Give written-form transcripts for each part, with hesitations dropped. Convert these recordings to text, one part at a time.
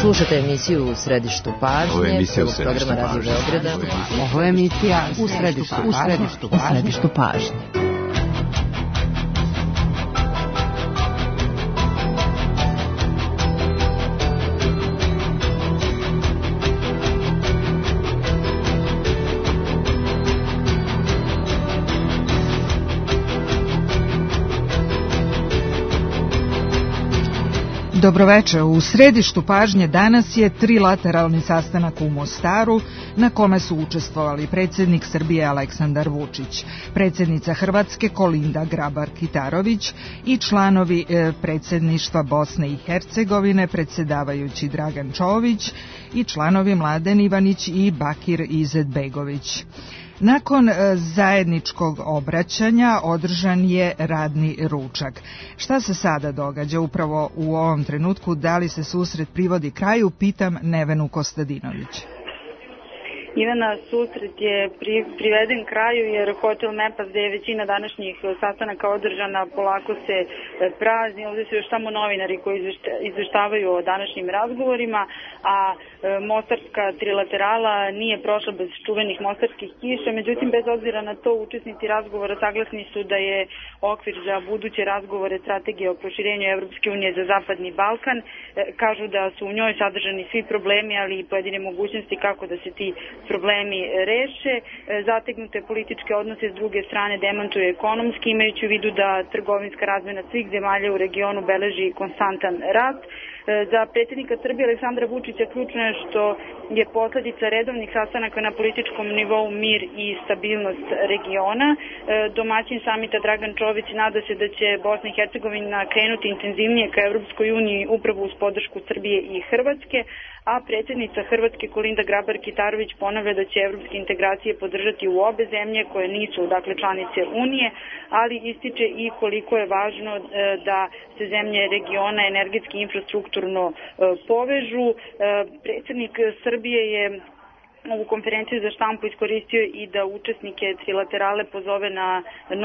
Slušate emisiju U središtu pažnje, prvog programa Radio Beograda. Ovo je emisija U središtu pažnje. Dobroveče, u središtu pažnje danas je trilateralni sastanak u Mostaru na kome su učestvovali predsjednik Srbije Aleksandar Vučić, predsjednica Hrvatske Kolinda Grabar-Kitarović i članovi predsjedništva Bosne i Hercegovine, predsjedavajući Dragan Čović i članovi Mladen Ivanić i Bakir Izetbegović. Nakon zajedničkog obraćanja održan je radni ručak. Šta se sada događa upravo u ovom trenutku? Da li se susret privodi kraju? Pitam Nevenu Kostadinović. Ivana, susret je priveden kraju jer hotel Mepas, gde je većina današnjih sastanaka održana, polako se prazni. Ovdje su još samo novinari koji izveštavaju o današnjim razgovorima, a mostarska trilaterala nije prošla bez čuvenih mostarskih kiša. Međutim, bez obzira na to, učesnici razgovora saglasni su da je okvir za buduće razgovore strategije o proširenju Evropske unije za Zapadni Balkan. Kažu da su u njoj sadržani svi problemi, ali i pojedine mogućnosti kako da se ti problemi reše. Zategnute političke odnose s druge strane demantuju ekonomski, imajući u vidu da trgovinska razmena svih zemalja u regionu beleži konstantan rast. Za predsjednika Srbije Aleksandra Vučića ključno je što je posljedica redovnih sastanaka na političkom nivou mir i stabilnost regiona. Domaćin samita Dragan Čović nada se da će Bosna i Hercegovina krenuti intenzivnije ka Evropskoj uniji upravo uz podršku Srbije i Hrvatske, a predsjednica Hrvatske Kolinda Grabar-Kitarović ponavlja da će evropske integracije podržati u obe zemlje koje nisu članice Unije, ali ističe i koliko je važno da se zemlje regiona energetski i infrastrukturno povežu. Predsjednik Srbije je ovu konferenciju za štampu iskoristio i da učesnike trilaterale pozove na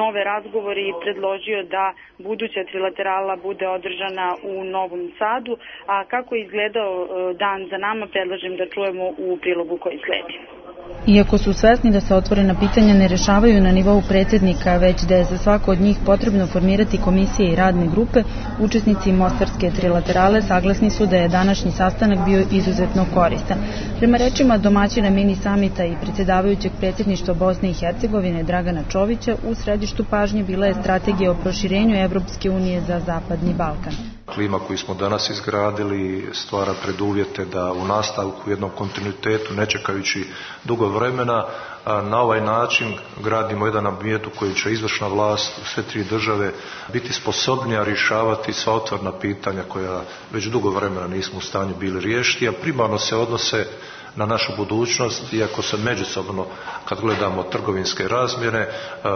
nove razgovore i predložio da buduća trilaterala bude održana u Novom Sadu. A kako je izgledao dan za nama, predlažem da čujemo u prilogu koji sledi. Iako su svesni da se otvorena pitanja ne rešavaju na nivou predsjednika, već da je za svako od njih potrebno formirati komisije i radne grupe, učesnici mostarske trilaterale saglasni su da je današnji sastanak bio izuzetno koristan. Prema rečima domaćina mini samita i predsjedavajućeg predsjedništva Bosne i Hercegovine Dragana Čovića, u središtu pažnje bila je strategija o proširenju Evropske unije za Zapadni Balkan. Klima koju smo danas izgradili stvara preduvjete da u nastavku u jednom kontinuitetu, ne čekajući dugo vremena, na ovaj način gradimo jedan ambijent u kojem će izvršna vlast u sve tri države biti sposobnija rješavati sva otvorena pitanja koja već dugo vremena nismo u stanju bili riješiti, a primarno se odnose na našu budućnost, iako se međusobno, kad gledamo trgovinske razmjere,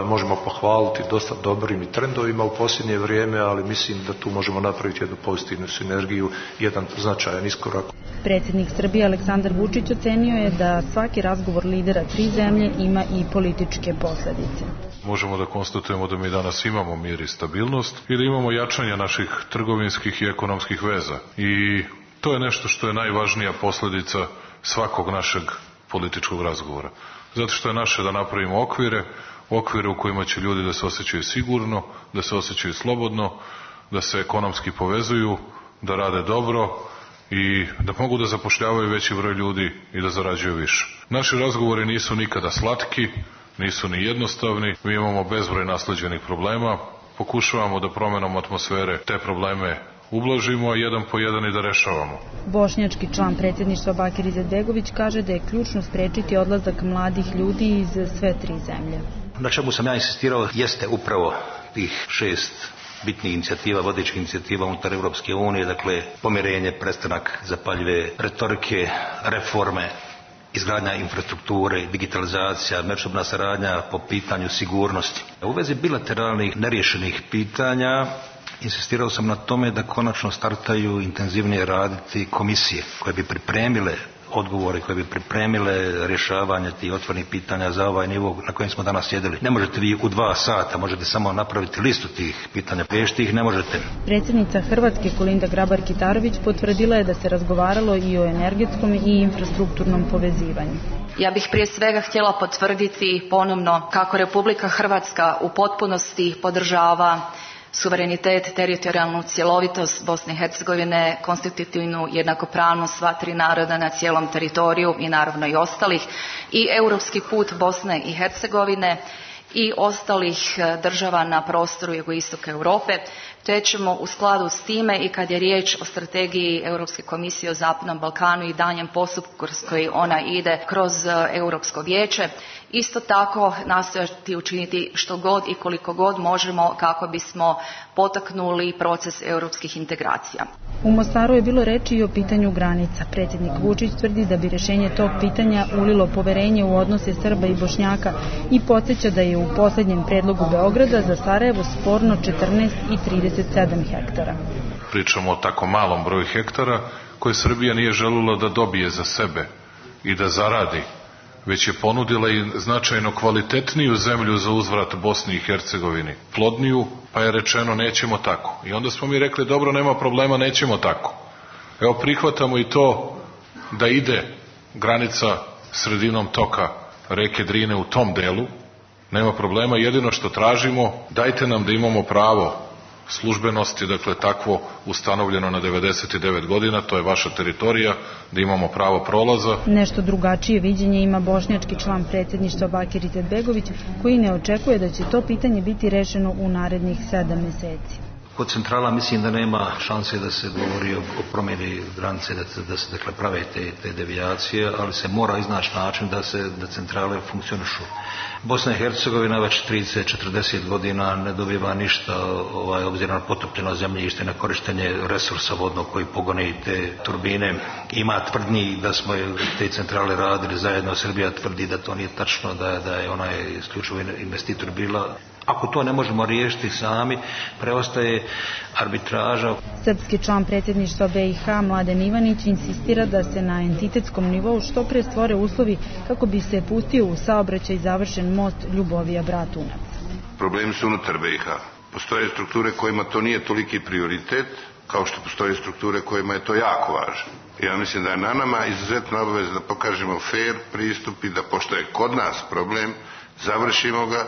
možemo pohvaliti dosta dobrim i trendovima u posljednje vrijeme, ali mislim da tu možemo napraviti jednu pozitivnu sinergiju, jedan značajan iskorak. Predsjednik Srbije Aleksandar Vučić ocenio je da svaki razgovor lidera tri zemlje ima i političke posljedice. Možemo da konstatujemo da mi danas imamo mir i stabilnost i da imamo jačanje naših trgovinskih i ekonomskih veza. I to je nešto što je najvažnija posljedica svakog našeg političkog razgovora. Zato što je naše da napravimo okvire u kojima će ljudi da se osjećaju sigurno, da se osjećaju slobodno, da se ekonomski povezuju, da rade dobro i da mogu da zapošljavaju veći broj ljudi i da zarađuju više. Naši razgovori nisu nikada slatki, nisu ni jednostavni, mi imamo bezbroj nasleđenih problema, pokušavamo da promjenom atmosfere te probleme ublažimo, jedan po jedan i da rešavamo. Bošnjački član predsjedništva Bakir Izetbegović kaže da je ključno sprečiti odlazak mladih ljudi iz sve tri zemlje. Na čemu sam ja insistirao jeste upravo tih 6 bitnih inicijativa, vodećih inicijativa unutar Evropske unije, dakle pomirenje, prestanak zapaljive retorike, reforme, izgradnja infrastrukture, digitalizacija, međusobna saradnja po pitanju sigurnosti. U vezi bilateralnih neriješenih pitanja insistirao sam na tome da konačno startaju intenzivnije raditi komisije koje bi pripremile odgovore koje bi pripremile rješavanje tih otvorenih pitanja za ovaj nivo na kojem smo danas sjedili. Ne možete vi u 2 sata, možete samo napraviti listu tih pitanja, riješiti ih ne možete. Predsjednica Hrvatske Kolinda Grabar-Kitarović potvrdila je da se razgovaralo i o energetskom i infrastrukturnom povezivanju. Ja bih prije svega htjela potvrditi ponovno kako Republika Hrvatska u potpunosti podržava suverenitet, teritorijalnu cjelovitost Bosne i Hercegovine, konstitutivnu jednakopravnost sva 3 naroda na cijelom teritoriju i naravno i ostalih, i europski put Bosne i Hercegovine i ostalih država na prostoru jugoistoka Europe, te ćemo u skladu s time i kad je riječ o strategiji Europske komisije o Zapadnom Balkanu i daljnjem postupku kroz koji ona ide kroz Europsko vijeće, isto tako nastojati učiniti što god i koliko god možemo kako bismo potaknuli proces europskih integracija. U Mostaru je bilo reči i o pitanju granica. Predsjednik Vučić tvrdi da bi rješenje tog pitanja ulilo poverenje u odnose Srba i Bošnjaka i podsjeća da je u posljednjem predlogu Beograda za Sarajevo sporno 14 i 37 hektara. Pričamo o tako malom broju hektara koje Srbija nije željela da dobije za sebe i da zaradi, već je ponudila i značajno kvalitetniju zemlju za uzvrat Bosni i Hercegovini, plodniju, pa je rečeno nećemo tako. I onda smo mi rekli dobro, nema problema, nećemo tako. Evo prihvatamo i to da ide granica sredinom toka reke Drine u tom delu, nema problema, jedino što tražimo, dajte nam da imamo pravo službenosti, dakle takvo ustanovljeno na 99 godina, to je vaša teritorija, da imamo pravo prolaza. Nešto drugačije viđenje ima bošnjački član predsjedništva Bakir Izetbegović, koji ne očekuje da će to pitanje biti rešeno u narednih 7 mjeseci. Kod centrala mislim da nema šanse da se govori o promjeni granice, da se dakle prave te devijacije, ali se mora iznaći način da centrale funkcionišu. Bosna i Hercegovina već 30-40 godina ne dobiva ništa obzirom na potopljeno zemljište, na korištenje resursa vodnog koji pogoni te turbine. Ima tvrdnji da smo te centrale radili zajedno, Srbija tvrdi da to nije tačno, da je ona isključivo investitor bila. Ako to ne možemo riješiti sami, preostaje arbitraža. Srpski član predsjedništva BiH Mladen Ivanić insistira da se na entitetskom nivou što pre stvore uslovi kako bi se pustio u saobraćaj završen most Ljubovija-Bratunac. Problemi su unutar BiH. Postoje strukture kojima to nije toliki prioritet, kao što postoje strukture kojima je to jako važno. Ja mislim da je na nama izuzetno obaveza da pokažemo fair pristup i da pošto je kod nas problem, završimo ga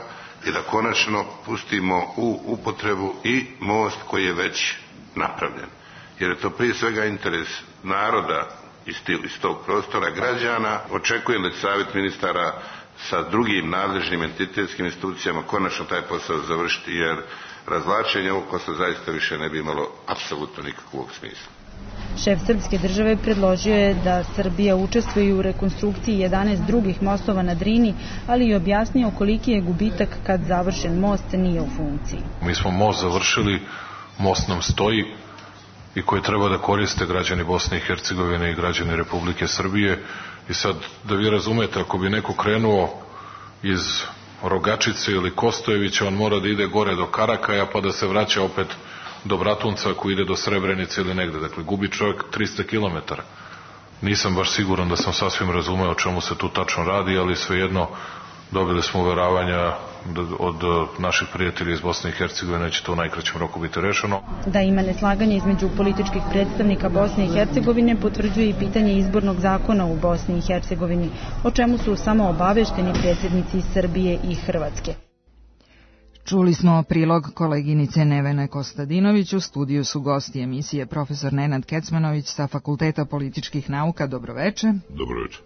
i da konačno pustimo u upotrebu i most koji je već napravljen. Jer je to prije svega interes naroda iz tog prostora, građana. Očekujem da će savjet ministara sa drugim nadležnim entitetskim institucijama konačno taj posao završiti, jer razvlačenje ovog posla zaista više ne bi imalo apsolutno nikakvog smisla. Šef srpske države predložio je da Srbija učestvuje u rekonstrukciji 11 drugih mostova na Drini, ali i objasnio koliki je gubitak kad završen most nije u funkciji. Mi smo most završili, most nam stoji i koji treba da koriste građani Bosne i Hercegovine i građani Republike Srbije. I sad da vi razumete, ako bi neko krenuo iz Rogačice ili Kostojevića, on mora da ide gore do Karakaja pa da se vraća opet do Bratunca ako ide do Srebrenice ili negde. Dakle, gubi čovjek 300 km. Nisam baš siguran da sam sasvim razumeo o čemu se tu tačno radi, ali svejedno dobili smo uveravanja od naših prijatelja iz Bosne i Hercegovine da će to u najkraćem roku biti rešeno. Da ima neslaganje između političkih predstavnika Bosne i Hercegovine potvrđuje i pitanje izbornog zakona u Bosni i Hercegovini, o čemu su samo obavešteni predsjednici Srbije i Hrvatske. Čuli smo prilog koleginice Nevene Kostadinović, u studiju su gosti emisije profesor Nenad Kecmanović sa Fakulteta političkih nauka. Dobroveče. Dobroveče.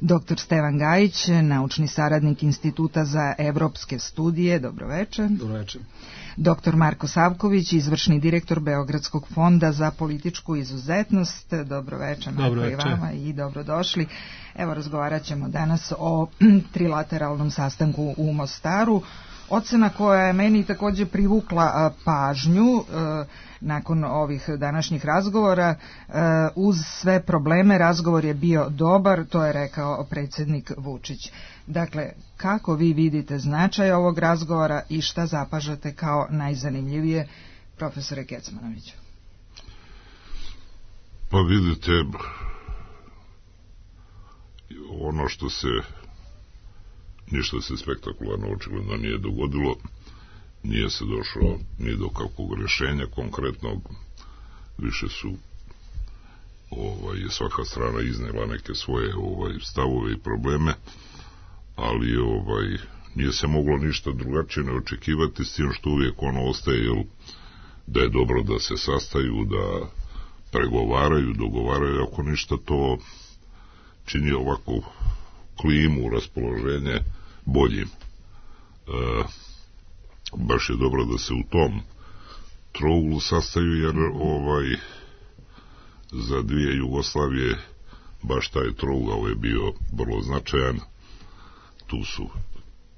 Dr. Stevan Gajić, naučni saradnik Instituta za evropske studije. Dobroveče. Dobroveče. Dr. Marko Savković, izvršni direktor Beogradskog fonda za političku izuzetnost. Dobroveče, Marko, i vama i dobrodošli. Evo, razgovarat ćemo danas o trilateralnom sastanku u Mostaru. Ocena koja je meni također privukla pažnju nakon ovih današnjih razgovora, uz sve probleme razgovor je bio dobar, to je rekao predsjednik Vučić. Dakle, kako vi vidite značaj ovog razgovora i šta zapažate kao najzanimljivije, profesore Kecmanoviću? Pa vidite, ono što se ništa se spektakularno očigledno nije dogodilo, nije se došlo ni do kakvog rješenja konkretnog, više su svaka strana iznijela neke svoje stavove i probleme, ali nije se moglo ništa drugačije ne očekivati, s tim što uvijek ono ostaje da je dobro da se sastaju, da pregovaraju, dogovaraju, ako ništa to čini ovako klimu, raspoloženje boljim. Baš je dobro da se u tom trouglu sastaju, jer za dvije Jugoslavije baš taj trougao je bio vrlo značajan. Tu su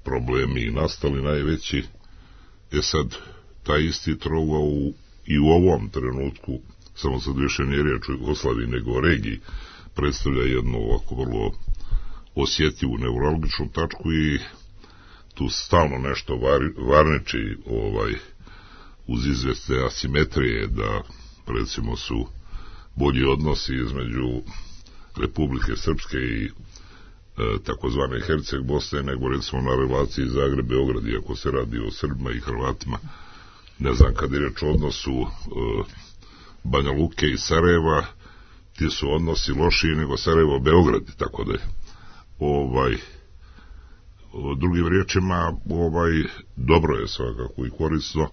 problemi nastali najveći. Sad, taj isti trougao i u ovom trenutku, samo sad više nije riječ o Jugoslaviji nego o regiji, predstavlja jednu ovako vrlo osjetljivu neuralgičnu tačku i tu stalno nešto varniči uz izvjesne asimetrije, da recimo su bolji odnosi između Republike Srpske i takozvane Herceg Bosne nego recimo na relaciji Zagreb-Beograd, iako se radi o Srbima i Hrvatima. Ne znam, kad je reč o odnosu Banja Luke i Sarajeva, ti su odnosi lošiji nego Sarajevo-Beograd, tako da je drugim riječima dobro je svakako i korisno,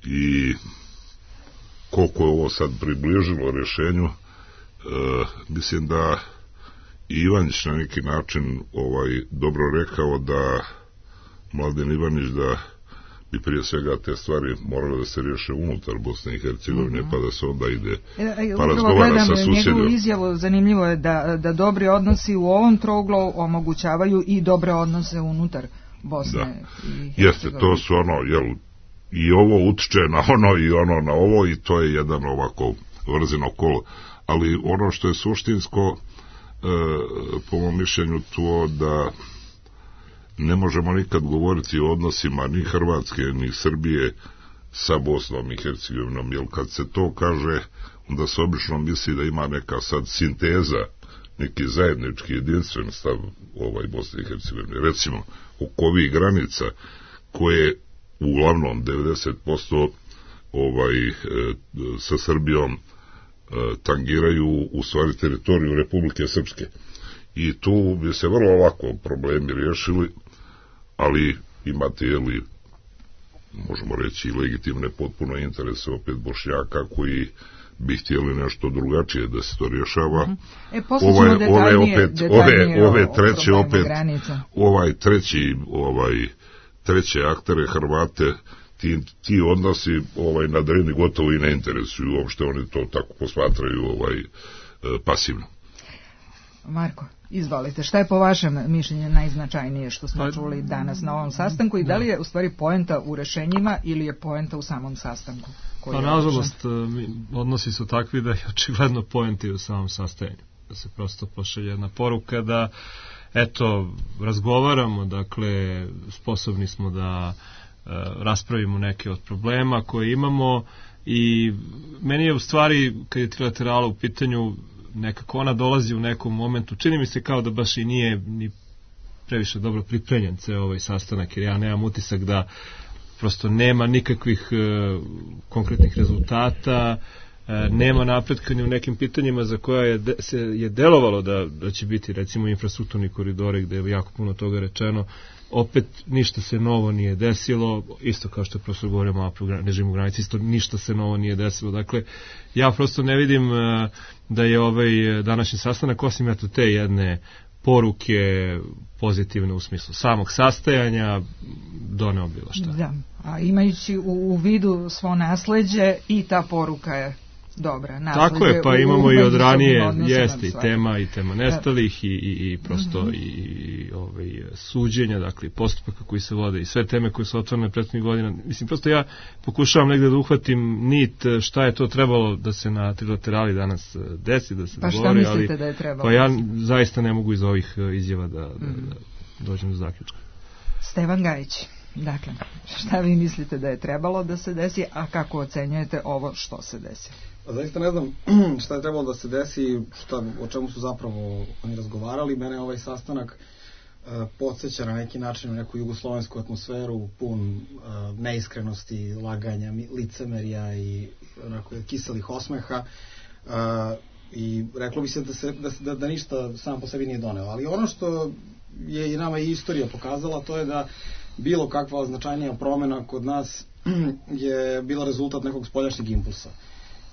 i koliko je ovo sad približilo rješenju, mislim da Ivanić na neki način dobro rekao, da Mladen Ivanić, da bi prije svega te stvari morale da se riješe unutar Bosne i Hercegovine, pa da se onda ide pa razgovara sa susjedima. Njegovu izjavu, zanimljivo je da dobri odnosi u ovom trouglu omogućavaju i dobre odnose unutar Bosne i Hercegovine. Jeste, to su i ovo utiče na ono i ono na ovo, i to je jedan ovako vrzino kolo. Ali ono što je suštinsko, po mom mišljenju, to da ne možemo nikad govoriti o odnosima ni Hrvatske ni Srbije sa Bosnom i Hercegovinom, jer kad se to kaže, onda se obično misli da ima neka sad sinteza, neki zajednički jedinstven stav Bosne i Hercegovine. Recimo, oko ovih granica koje uglavnom 90% sa Srbijom tangiraju u stvari teritoriju Republike Srpske. I tu bi se vrlo lako problemi riješili, ali imate, možemo reći, legitimne potpuno interese opet Bošnjaka koji bi htjeli nešto drugačije da se to rješava. Treće aktere Hrvate, ti odnosi na Drini gotovo i ne interesuju, uopšte oni to tako posmatraju pasivno. Marko, izvolite, šta je po vašem mišljenju najznačajnije što smo čuli danas na ovom sastanku, i da li je u stvari poenta u rešenjima ili je poenta u samom sastanku? Pa nažalost, odnosi su takvi da je očigledno poenta u samom sastajanju, da se prosto pošalje jedna poruka da razgovaramo, dakle sposobni smo da raspravimo neke od problema koje imamo, i meni je u stvari, kad je trilaterala u pitanju, nekako ona dolazi u nekom momentu, čini mi se kao da baš i nije ni previše dobro pripremljen ceo ovaj sastanak, jer ja nemam utisak da prosto nema nikakvih konkretnih rezultata, nema napretka ni u nekim pitanjima za koja je delovalo da će biti, recimo infrastrukturni koridori, gde je jako puno toga rečeno, opet ništa se novo nije desilo, isto kao što je profesor govorio malo o režimu granice, isto ništa se novo nije desilo. Dakle, ja prosto ne vidim da je ovaj današnji sastanak, osim te jedne poruke pozitivne u smislu samog sastajanja, doneo bilo šta. Da, a imajući u vidu svo nasleđe, i ta poruka je dobra. Tako je, pa imamo i od ranije, jeste i tema nestalih i prosto i suđenja, dakle postupaka koji se vode i sve teme koje su otvorene prethodnih godina. Mislim, prosto ja pokušavam negde da uhvatim nit šta je to trebalo da se na trilaterali danas desi, da se dogovori. Pa šta mislite da je trebalo? Pa ja zaista ne mogu iz ovih izjava da dođem do zaključka. Stevan Gajić, Dakle, šta vi mislite da je trebalo da se desi, a kako ocenjujete ovo što se desi? Zaista ne znam šta je trebalo da se desi, o čemu su zapravo oni razgovarali. Mene ovaj sastanak podsjeća na neki način u neku jugoslovensku atmosferu, pun neiskrenosti, laganja, licemerja i onako kiselih osmeha, i reklo bi se da ništa sam po sebi nije doneo. Ali ono što je i nama i istorija pokazala, to je da bilo kakva značajnija promena kod nas je bila rezultat nekog spoljašnjeg impulsa.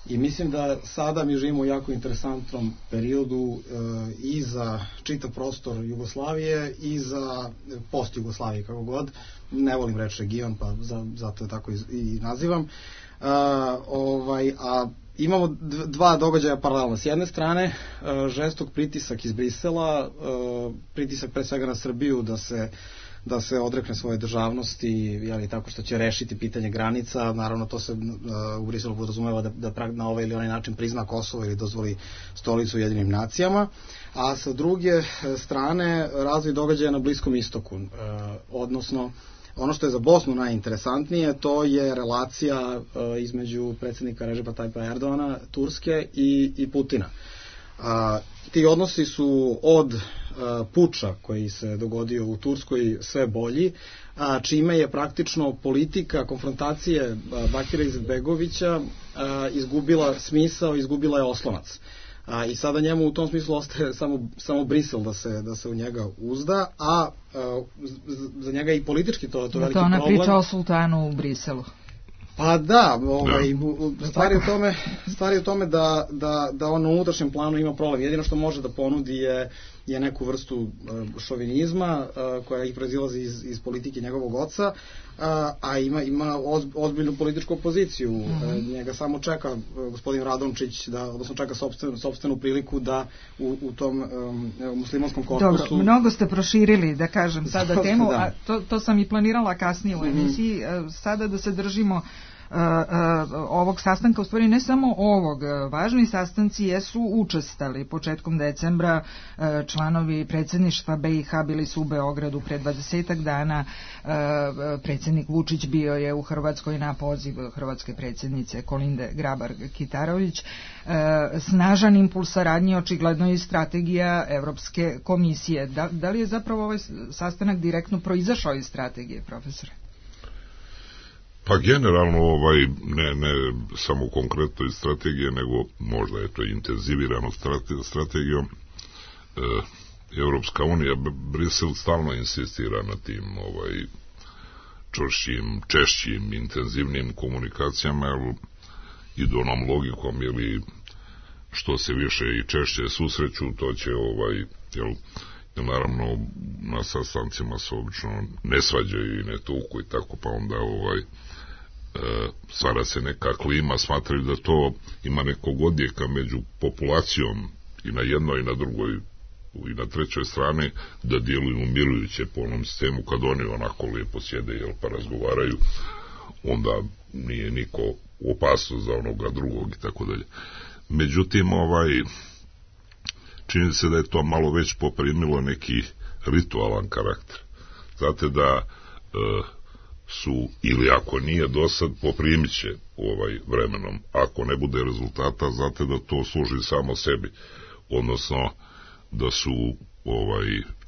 I mislim da sada mi živimo u jako interesantnom periodu i za čitav prostor Jugoslavije i za post-Jugoslavije, kako god. Ne volim reći region, pa zato je tako i nazivam. A imamo dva događaja paralelno. S jedne strane, žestok pritisak iz Brisela, pritisak pre svega na Srbiju da se odrekne svoje državnosti, tako što će rešiti pitanje granica. Naravno, to se u Briselu podrazumeva da na ovaj ili onaj način prizna Kosovo ili dozvoli stolicu Ujedinim nacijama. A sa druge strane, razvoj događaja na Bliskom istoku, odnosno ono što je za Bosnu najinteresantnije, to je relacija između predsjednika Ređepa Tajpa Erdogana, Turske i Putina. Ti odnosi su od puča koji se dogodio u Turskoj sve bolji, čime je praktično politika konfrontacije Bakira Izetbegovića izgubila smisao, izgubila je oslonac. I sada njemu u tom smislu ostaje samo Brisel da se u njega uzda, a za njega i politički to veliki problem. To ona priča o sultanu u Briselu. Pa da, stvar je u tome da on na unutrašnjem planu ima problem. Jedino što može da ponudi je neku vrstu šovinizma koja ih proizilazi iz politike njegovog oca, a ima ozbiljnu političku opoziciju. Njega samo čeka gospodin Radončić, odnosno čeka sopstvenu priliku da u tom muslimanskom korpusu... Dobro, mnogo ste proširili, da kažem, sada temu, a to sam i planirala kasnije u emisiji, sada da se držimo ovog sastanka, u stvari ne samo ovog, važni sastanci jesu učestali. Početkom decembra članovi predsjedništva BiH bili su u Beogradu pre 20 dana, predsjednik Vučić bio je u Hrvatskoj na poziv hrvatske predsjednice Kolinde Grabar-Kitarović. Snažan impuls saradnje očigledno i strategija Evropske komisije. Da li je zapravo ovaj sastanak direktno proizašao iz strategije, profesore? Pa generalno ne samo konkretno iz strategije, nego možda je to intenzivirano strategijom. Evropska unija, Brisel stalno insistira na tim čvršćim, češćim, intenzivnim komunikacijama, jer idu onom logikom, ili što se više i češće susreću, to će jer naravno na sastancima se obično ne svađaju i ne tuku i tako, pa onda stvara se neka klima, smatraju da to ima nekog odjeka među populacijom i na jednoj i na drugoj i na trećoj strani, da djeluju umirujuće po onom sistemu. Kad oni onako lijepo sjede pa razgovaraju, onda nije niko u opasnost za onoga drugog i tako dalje. Međutim, čini se da je to malo već poprimilo neki ritualan karakter. Znate da su, ili ako nije dosad, poprimit će vremenom. Ako ne bude rezultata, znate da to služi samo sebi. Odnosno, da su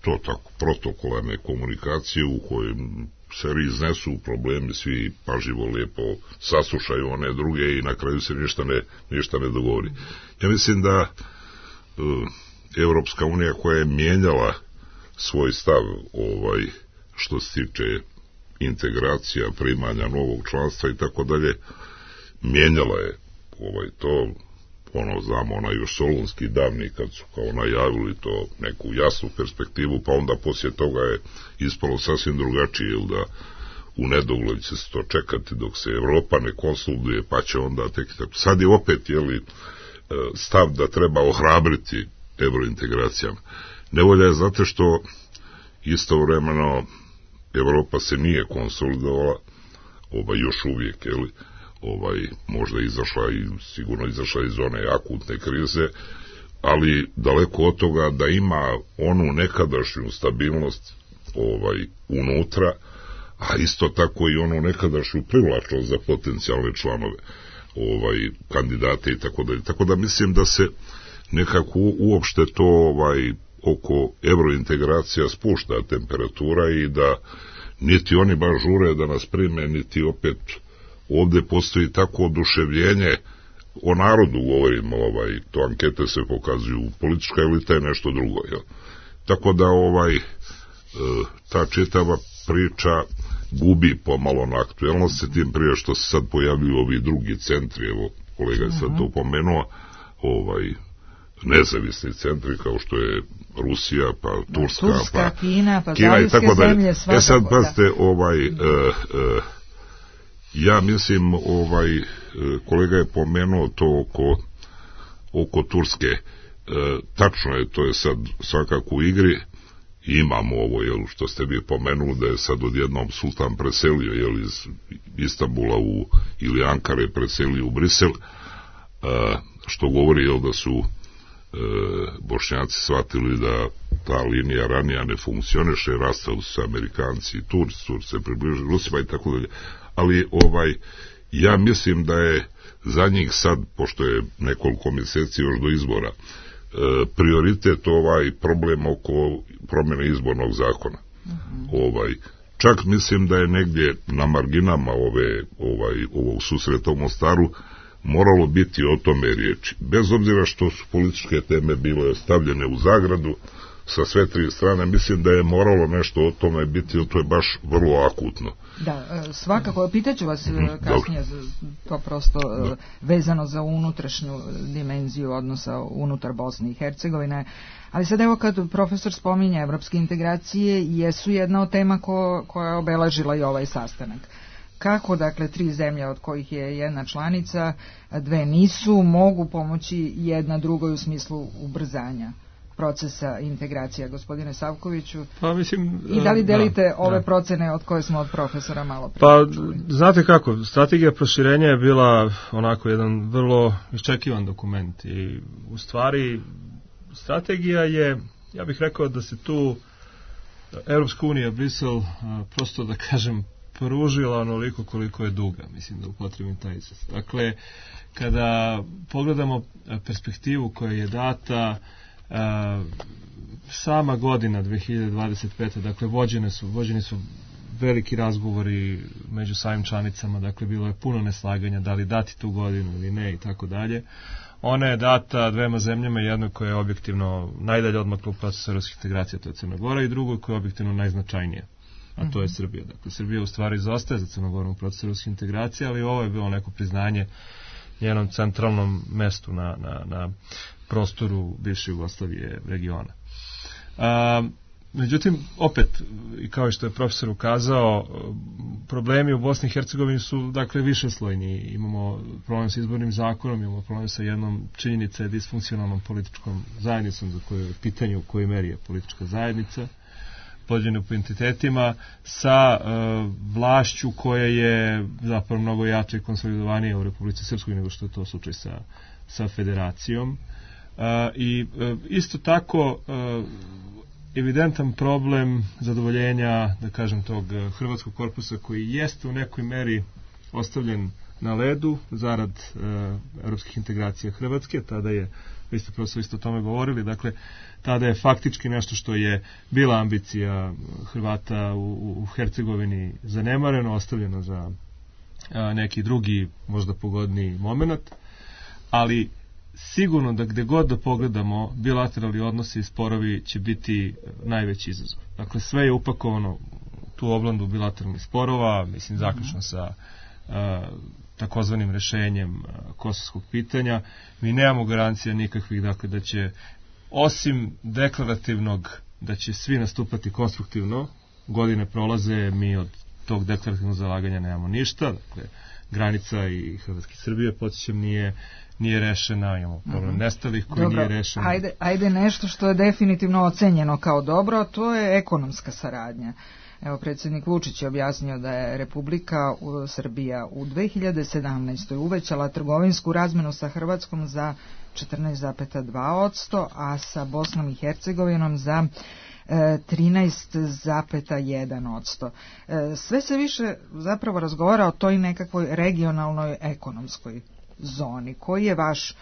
to tako protokolarne komunikacije u kojem se iznesu problemi, svi pažljivo lijepo saslušaju one druge i na kraju se ništa ne dogovori. Ja mislim da Evropska unija, koja je mijenjala svoj stav što se tiče integracija, primanja novog članstva i tako dalje, mijenjala je to, znamo, još solunski davni, kad su kao najavili to neku jasnu perspektivu, pa onda poslije toga je ispalo sasvim drugačije, jer da u nedogled će se to čekati dok se Evropa ne konsoliduje, pa će onda tek tako. Sad je opet, stav da treba ohrabriti evrointegracijama. Nevolja je zato što istovremeno Evropa se nije konsolidovala, još uvijek, možda izašla i sigurno izašla iz one akutne krize, ali daleko od toga da ima onu nekadašnju stabilnost unutra, a isto tako i onu nekadašnju privlačnost za potencijalne članove, kandidate i tako dalje. Tako da mislim da se nekako uopšte to oko evrointegracija spušta temperatura i da niti oni baš žure da nas prime, niti opet ovde postoji tako oduševljenje, o narodu govorimo, to ankete se pokazuju, politička elita je nešto drugo, jel? Tako da ta čitava priča gubi pomalo na aktuelnosti, tim prije što se sad pojavljuju ovi drugi centri, evo kolega je sad to pomenuo, nezavisni centri kao što je Rusija, pa Turska, pa Kina, pa zaljevske zemlje, svakako. Sad pazite, ja mislim, kolega je pomenuo to oko Turske, tačno je, to je sad svakako u igri, imamo ovo, što ste vi pomenuli, da je sad odjednom sultan preselio, iz Istanbula ili Ankare preselio u Brisel, što govori, da su Bošnjaci shvatili da ta linija ranija ne funkcioniše, rastali su Amerikanci i Turci se približili Rusima i tako dalje, ali ja mislim da je za njih sad, pošto je nekoliko mjeseci još do izbora, prioritet problem oko promjene izbornog zakona. Čak mislim da je negdje na marginama ovog susreta u Mostaru moralo biti o tome riječi. Bez obzira što su političke teme bile stavljene u zagradu sa sve tri strane, mislim da je moralo nešto o tome biti, jer to je baš vrlo akutno. Da, svakako, pitaću vas kasnije, to prosto vezano za unutrašnju dimenziju odnosa unutar Bosne i Hercegovine, ali sad evo kad profesor spominje evropske integracije, jesu jedna od tema koja je obeležila i ovaj sastanak. Kako, dakle, tri zemlje od kojih je jedna članica, dve nisu, mogu pomoći jedna drugoj u smislu ubrzanja procesa integracija, gospodine Savkoviću? Pa mislim... I da li delite ove procene od koje smo od profesora malo prije Pa, čuli? znate kako, strategija proširenja je bila onako jedan vrlo iščekivan dokument i u stvari strategija je, ja bih rekao da se tu Evropska unija, Brisel, prosto da kažem, pružila onoliko koliko je duga, mislim da upotrebim taj izraz. Dakle, kada pogledamo perspektivu koja je data, sama godina 2025. dakle vođeni su veliki razgovori među samim članicama, dakle bilo je puno neslaganja da li dati tu godinu ili ne i tako dalje. Ona je data dvema zemljama, jednoj koja je objektivno najdalje odmakla u procesu evropskih integracija, to je Crna Gora, i drugoj koja je objektivno najznačajnija, a to je Srbija. Dakle, Srbija u stvari zaostaje za Crnogorom u procesu evropskih integracija, ali ovo je bilo neko priznanje njenom centralnom mestu na prostoru bivše Jugoslavije regiona. Međutim, opet, i kao što je profesor ukazao, problemi u Bosni i Hercegovini su, dakle, višeslojni. Imamo problem sa izbornim zakonom, imamo problem sa jednom činjenice disfunkcionalnom političkom zajednicom, za koju je pitanje u kojoj meri je politička zajednica, pođene po entitetima, sa vlašću koja je zapravo mnogo jače i konsolidovanija u Republici Srpskoj nego što je to slučaj sa federacijom. I isto tako evidentan problem zadovoljenja, da kažem, tog hrvatskog korpusa koji jeste u nekoj meri ostavljen na ledu zarad evropskih integracija Hrvatske. Tada je, vi ste profesor isto o tome govorili, dakle tada je faktički nešto što je bila ambicija Hrvata u Hercegovini zanemareno, ostavljeno za neki drugi, možda pogodniji moment, ali sigurno da gde god da pogledamo, bilateralni odnosi i sporovi će biti najveći izazov. Dakle, sve je upakovano u tu oblandu bilateralnih sporova, mislim zaključno sa takozvanim rešenjem kosovskog pitanja. Mi nemamo garancija nikakvih, dakle, da će, osim deklarativnog, da će svi nastupati konstruktivno, godine prolaze, mi od tog deklarativnog zalaganja nemamo ništa, dakle, granica i Hrvatske Srbije, podsjećam, nije rešena, imamo problem nestalih koji nije rešen. Ajde nešto što je definitivno ocenjeno kao dobro, to je ekonomska saradnja. Evo, predsjednik Vučić je objasnio da je Republika Srbija u 2017. uvećala trgovinsku razmenu sa Hrvatskom za 14,2%, a sa Bosnom i Hercegovinom za 13,1%. Sve se više zapravo razgovara o toj nekakvoj regionalnoj ekonomskoj zoni. Koji je vaš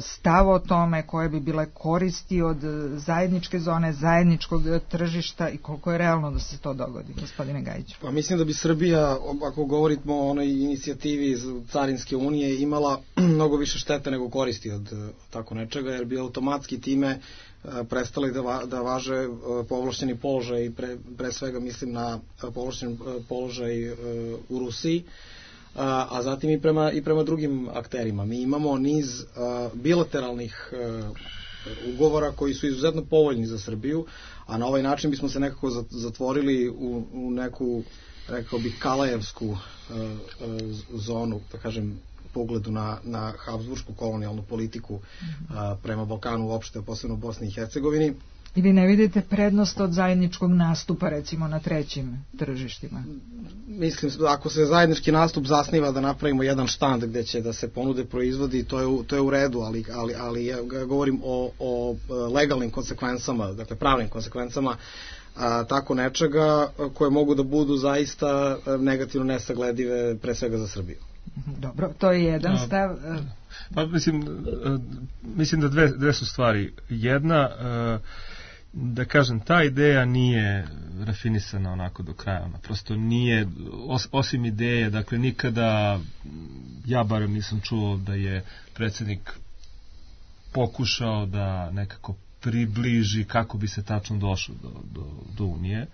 stav o tome, koje bi bile koristi od zajedničke zone, zajedničkog tržišta i koliko je realno da se to dogodi, gospodine Gajiću? Pa mislim da bi Srbija, ako govorimo o onoj inicijativi iz Carinske unije, imala mnogo više štete nego koristi od tako nečega, jer bi automatski time prestali da važe povlašćeni položaj, pre svega mislim na povlašćeni položaj u Rusiji, a zatim i prema drugim akterima. Mi imamo niz bilateralnih ugovora koji su izuzetno povoljni za Srbiju, a na ovaj način bismo se nekako zatvorili u neku, rekao bih, kalajevsku zonu, da kažem, pogledu na habsburšku kolonijalnu politiku prema Balkanu uopšte, posebno Bosni i Hercegovini. Ili ne vidite prednost od zajedničkog nastupa, recimo, na trećim tržištima? Mislim, ako se zajednički nastup zasniva da napravimo jedan štand gde će da se ponude proizvodi, to je u redu, ali ja govorim o legalnim konsekvencama, dakle pravnim konsekvencama tako nečega koje mogu da budu zaista negativno nesagledive, pre svega za Srbiju. Dobro, to je jedan stav. Pa mislim da dve su stvari. Jedna, da kažem, ta ideja nije rafinisana onako do kraja. Ona prosto nije, osim ideje, dakle nikada, ja barem nisam čuo da je predsjednik pokušao da nekako približi kako bi se tačno došlo do Unije,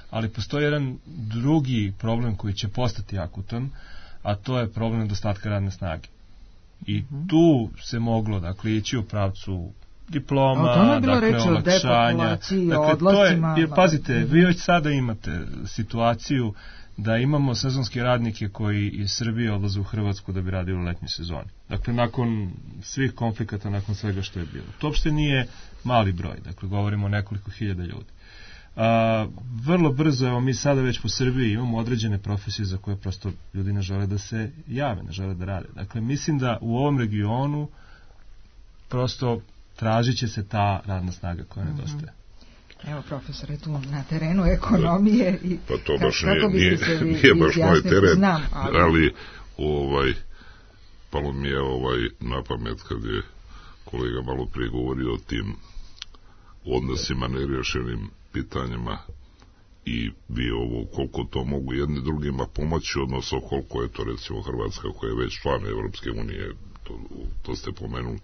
ali postoji jedan drugi problem koji će postati akutan, a to je problem nedostatka radne snage. I tu se moglo, dakle, ići u pravcu diploma, dakle, olakšanja. Dakle, pazite, vi već sada imate situaciju da imamo sezonske radnike koji iz Srbije odlaze u Hrvatsku da bi radili u letnjoj sezoni. Dakle, nakon svih konflikata, nakon svega što je bilo. To uopšte nije mali broj, dakle, govorimo o nekoliko hiljada ljudi. Vrlo brzo, evo, mi sada već po Srbiji imamo određene profesije za koje prosto ljudi ne žele da se jave, ne žele da rade. Dakle, mislim da u ovom regionu prosto tražit će se ta radna snaga koja nedostaje. Evo, profesore, tu na terenu ekonomije i pa to baš nije baš moj teren, ali palo mi je na pamet kad je kolega malo prije govorio o tim odnosima nerješenim pitanjima i vi ovo koliko to mogu jedni drugima pomoći, odnosno koliko je to recimo Hrvatska koja je već član Evropske unije, to ste pomenuli,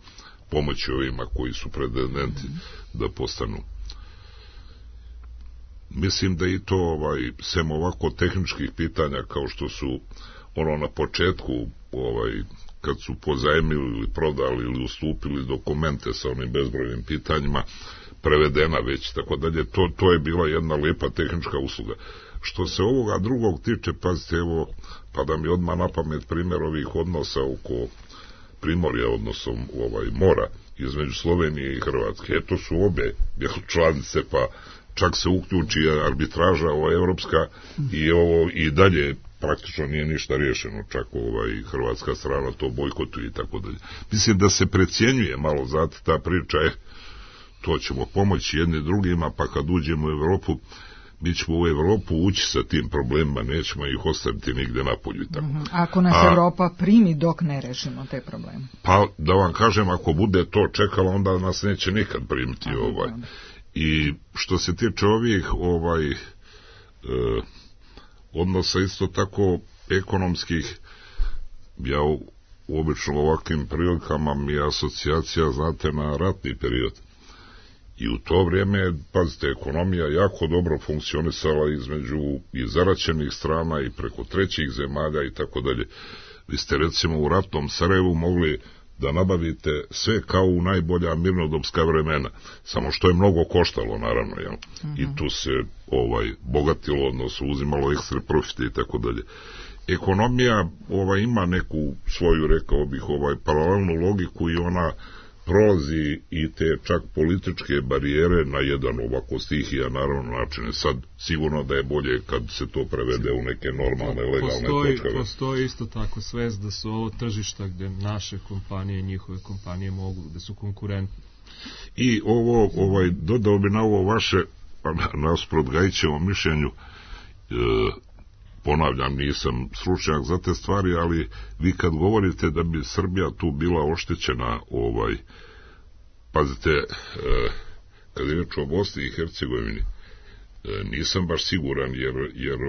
pomoći ovima koji su pretendenti da postanu. Mislim da i to sem ovako tehničkih pitanja kao što su na početku kad su pozajmili ili prodali ili ustupili dokumente sa onim bezbrojnim pitanjima prevedena već, tako dalje, to je bila jedna lijepa tehnička usluga. Što se ovoga drugog tiče, pazite, evo, pa da mi odmah na pamet primjer ovih odnosa oko Primorja, odnosno mora između Slovenije i Hrvatske. Eto su obe članice, pa čak se uključi arbitraža evropska i dalje praktično nije ništa riješeno, čak hrvatska strana to bojkotuje i tako dalje. Mislim da se precijenjuje malo, zato ta priča je to ćemo pomoći jedni drugima, pa kad uđemo u Evropu, mi ćemo u Evropu ući sa tim problemima, nećemo ih ostaviti nigde napolju. Ako nas Evropa primi dok ne rešimo te probleme? Pa da vam kažem, ako bude to čekala, onda nas neće nikad primiti. I što se tiče ovih odnosa isto tako ekonomskih, ja obično u ovakvim prilikama mi je asocijacija, znate, na ratni period. I u to vrijeme, pazite, ekonomija jako dobro funkcionisala između i zaraćenih strana i preko trećih zemalja i tako dalje. Vi ste recimo u ratnom Sarajevu mogli da nabavite sve kao u najbolja mirnodopska vremena, samo što je mnogo koštalo, naravno, jel? I tu se bogatilo, odnosno uzimalo ekstra profite i tako dalje. Ekonomija ima neku svoju, rekao bih, paralelnu logiku i ona prolazi i te čak političke barijere na jedan ovako stihija, naravno, načine. Sad sigurno da je bolje kad se to prevede u neke normalne, legalne točkave. Postoji isto tako svest da su ovo tržišta gde naše kompanije i njihove kompanije mogu, da su konkurentni. I dodao bi na ovo vaše, Pa nasprot Gajićevom mišljenju, ponavljam, nisam stručnjak za te stvari, ali vi kad govorite da bi Srbija tu bila oštećena, pazite, kad je reč o Bosni i Hercegovini, nisam baš siguran, jer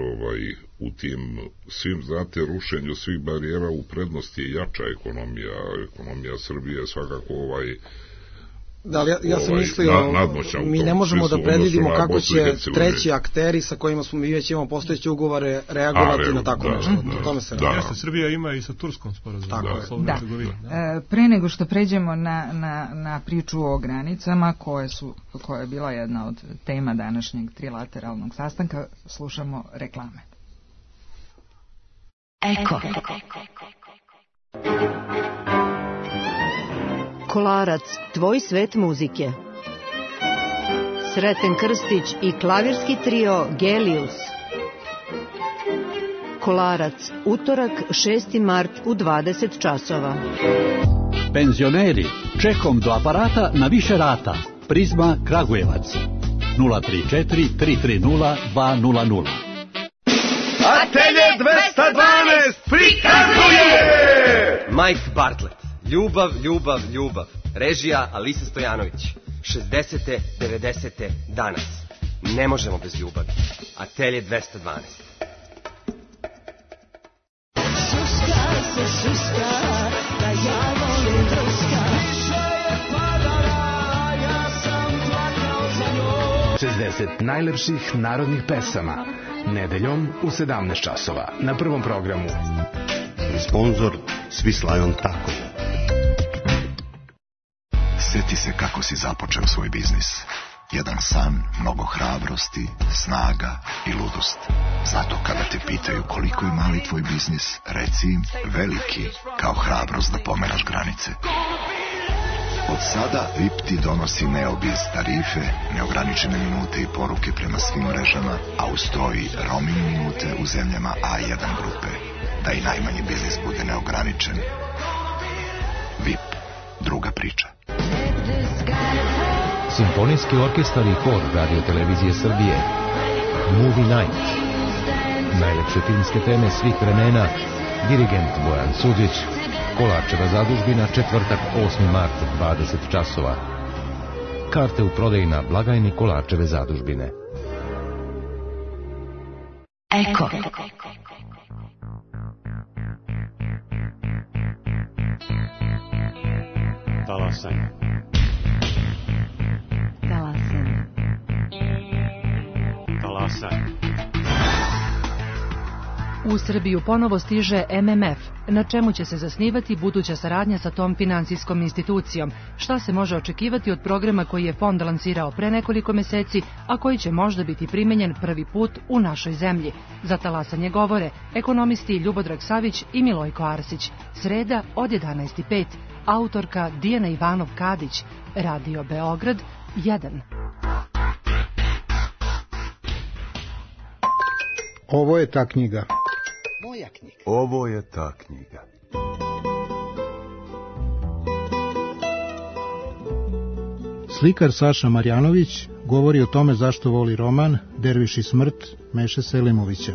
u tim svim, znate, rušenju svih barijera u prednosti je jača ekonomija Srbije je svakako Da, ali ja sam mislio, mi ne možemo da predvidimo kako će treći akteri sa kojima smo mi već imamo postojeće ugovore reagovati na tako nešto. O tome se radi. Jeste, Srbija ima i sa Turskom sporazum. Da. Pre nego što pređemo na priču o granicama, koja je bila jedna od tema današnjeg trilateralnog sastanka, slušamo reklame. Eko. Kolarac, tvoj svet muzike. Sreten Krstić i klavirski trio Gelius. Kolarac, utorak 6. mart u 20 časova. Penzioneri, čekom do aparata na više rata. Prizma Kragujevac. 034 330 200. Atelje 212 prikazuje Mike Bartlett. Ljubav, ljubav, ljubav. Režija Alisa Stojanović. 60. 90. danas. Ne možemo bez ljubavi. Atelje 212. Šuška se šuška, da ja volim druška. Više je padala, ja sam plakao za njom. 60 najlepših narodnih pesama. Nedeljom u 17 časova. Na Prvom programu. Sponzor Swiss Tako. Sjeti se kako si započeo svoj biznis. Jedan san, mnogo hrabrosti, snaga i ludost. Zato kada te pitaju koliko je mali tvoj biznis, reci im veliki, kao hrabrost da pomeraš granice. Od sada VIP ti donosi Neobiz tarife, neograničene minute i poruke prema svim mrežama, a uz to i roaming minute u zemljama A1 grupe. Da i najmanji biznis bude neograničen. VIP, druga priča. Simfonijski orkestar i hor Radio Televizije Srbije. Movie Night. Najlepše filmske teme svih vremena. Dirigent Bojan Suđić. Kolarčeva zadužbina, četvrtak 8. mart 20 časova. Karte u prodaji na blagajni Kolarčeve zadužbine. Eko. Talasanje. U Srbiju ponovo stiže MMF, na čemu će se zasnivati buduća saradnja sa tom finansijskom institucijom, šta se može očekivati od programa koji je fond lansirao pre nekoliko meseci, a koji će možda biti primenjen prvi put u našoj zemlji. Za talasanje govore ekonomisti Ljubodrag Savić i Milojko Arsić. Sreda od 11:05, autorka Dijana Ivanov-Kadić, Radio Beograd 1. Ovo je ta knjiga. Moja knjiga. Ovo je ta knjiga. Slikar Saša Marjanović govori o tome zašto voli roman Derviš i smrt Meše Selimovića.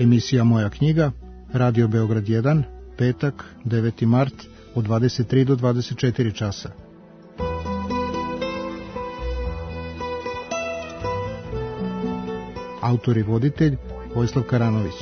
Emisija Moja knjiga, Radio Beograd 1, petak, 9. mart, od 23 do 24 časa. Autor i voditelj Vojislav Karanović.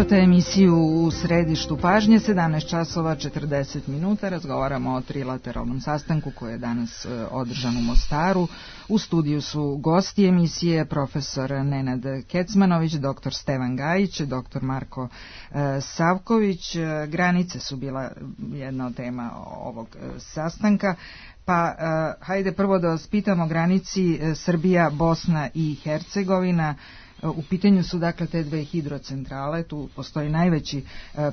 Slušate emisiju U središtu pažnje, 17 časova 40 minuta. Razgovaramo o trilateralnom sastanku koji je danas održan u Mostaru. U studiju su gosti emisije profesor Nenad Kecmanović, doktor Stevan Gajić, doktor Marko Savković. Granice su bila jedna od tema ovog sastanka. Pa hajde prvo da vas pitamo o granici Srbija, Bosna i Hercegovina. U pitanju su dakle te dve hidrocentrale, tu postoji najveći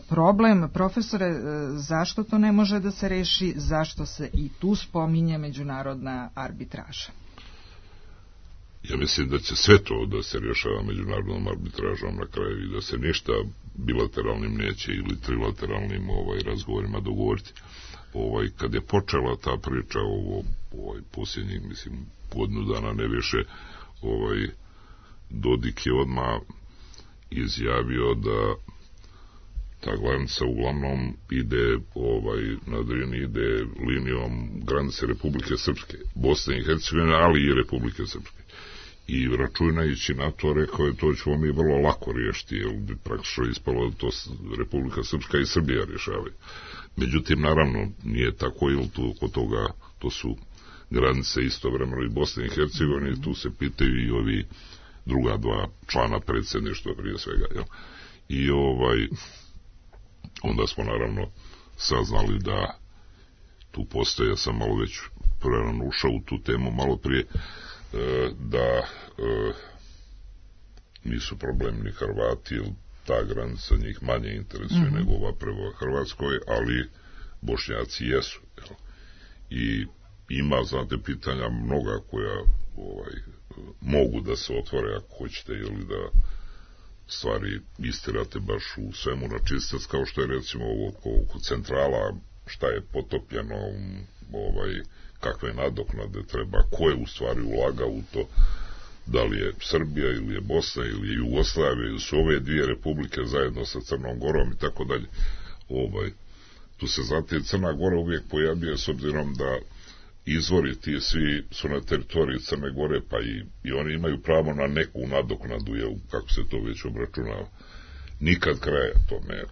problem. Profesore, zašto to ne može da se reši, zašto se i tu spominje međunarodna arbitraža? Ja mislim da će sve to da se rješava međunarodnom arbitražom na kraju i da se ništa bilateralnim neće ili trilateralnim razgovorima dogovoriti. Kad je počela ta priča posljednjih, mislim, godinu dana ne više, Dodik je odmah izjavio da ta granica uglavnom ide na Drini, ide linijom granice Republike Srpske, Bosne i Hercegovine, ali i Republike Srpske. I računajući na to, rekao je, to ćemo mi vrlo lako riješiti, jer bi praktično ispalo da to Republika Srpska i Srbija rješavaju. Međutim, naravno, nije tako, jer tu oko toga, to su granice istovremeno i Bosne i Hercegovine, tu se pitaju i ovi druga dva člana predsjedništva prije svega. Jel? I onda smo naravno saznali da tu postoje, ja sam malo već prerano ušao u tu temu malo prije, da nisu problemi ni Hrvati, jer ta granica njih manje interesuje nego ova prema Hrvatskoj, ali Bošnjaci jesu. Jel? I ima, znate, pitanja mnoga koja mogu da se otvore ako hoćete, ili da stvari istirate baš u svemu na čistac, kao što je recimo oko centrala, šta je potopljeno, kakve nadoknade treba, ko je u stvari ulagao u to, da li je Srbija ili je Bosna ili je Jugoslavija ili su ove dvije republike zajedno sa Crnom Gorom i tako dalje. Tu se znate Crna Gora uvijek pojavljuje, s obzirom da izvori ti svi su na teritoriji Crne Gore, pa i oni imaju pravo na neku nadoknadu, jel, kako se to već obračunava. Nikad kraja tome.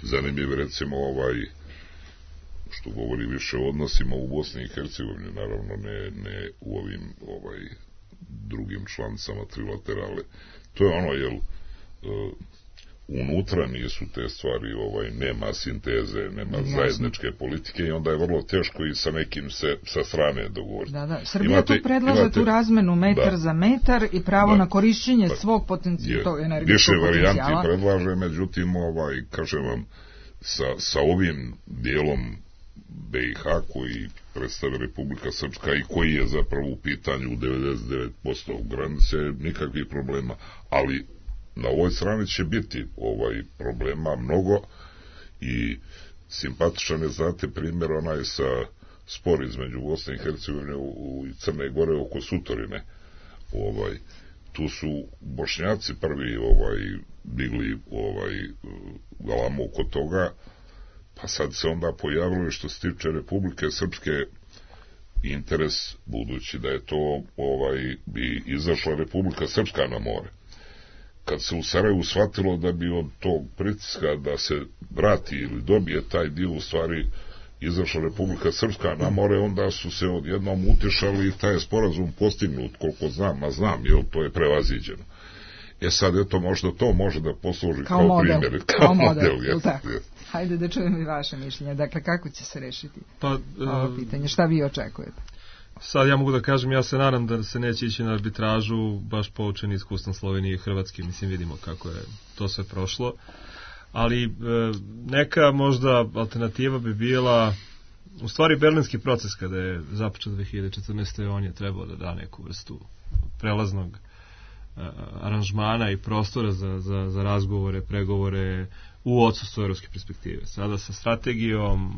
Zanimljiv recimo što govori više o odnosima u Bosni i Hercegovini, naravno ne u ovim drugim članicama trilaterale. To je ono, jel, unutra nisu te stvari, nema sinteze, nema zajedničke politike i onda je vrlo teško i sa nekim se sa strane dogovoriti. Da. Srbija tu predlaže tu razmenu metar za metar i pravo na korišćenje svog potencijala, energetskog potencijala. Više varijanti predlaže, međutim, kažem vam, sa ovim dijelom BiH koji predstavlja Republika Srpska i koji je zapravo u pitanju 99% granice, nikakvih problema, ali na ovoj strani će biti problema mnogo i simpatičan je, znate, primjer onaj sa spor između Bosne i Hercegovine i Crne Gore oko Sutorine. Tu su Bošnjaci prvi digli galamu oko toga, pa sad se onda pojavilo što se tiče Republike Srpske interes, budući da je to bi izašla Republika Srpska na more. Kad se u Sarajevu shvatilo da bi od tog pritiska da se vrati ili dobije taj dio u stvari izašla Republika Srpska na more, onda su se odjednom utješali i taj sporazum postignut, koliko znam, a znam, jer to je prevaziđeno. Sad, eto, možda to može da posluži kao primjer. Kao model, ili tako? Hajde da čujem i vaše mišljenje. Dakle, kako će se rešiti ovo pitanje? Šta vi očekujete? Sad ja mogu da kažem, ja se nadam da se neće ići na arbitražu, baš poučen iskustvom Slovenije i Hrvatske, mislim, vidimo kako je to sve prošlo, ali neka možda alternativa bi bila, u stvari, berlinski proces kada je započet 2014. on je trebao da da neku vrstu prelaznog aranžmana i prostora za razgovore, pregovore u odsustvu evropske perspektive. Sada sa strategijom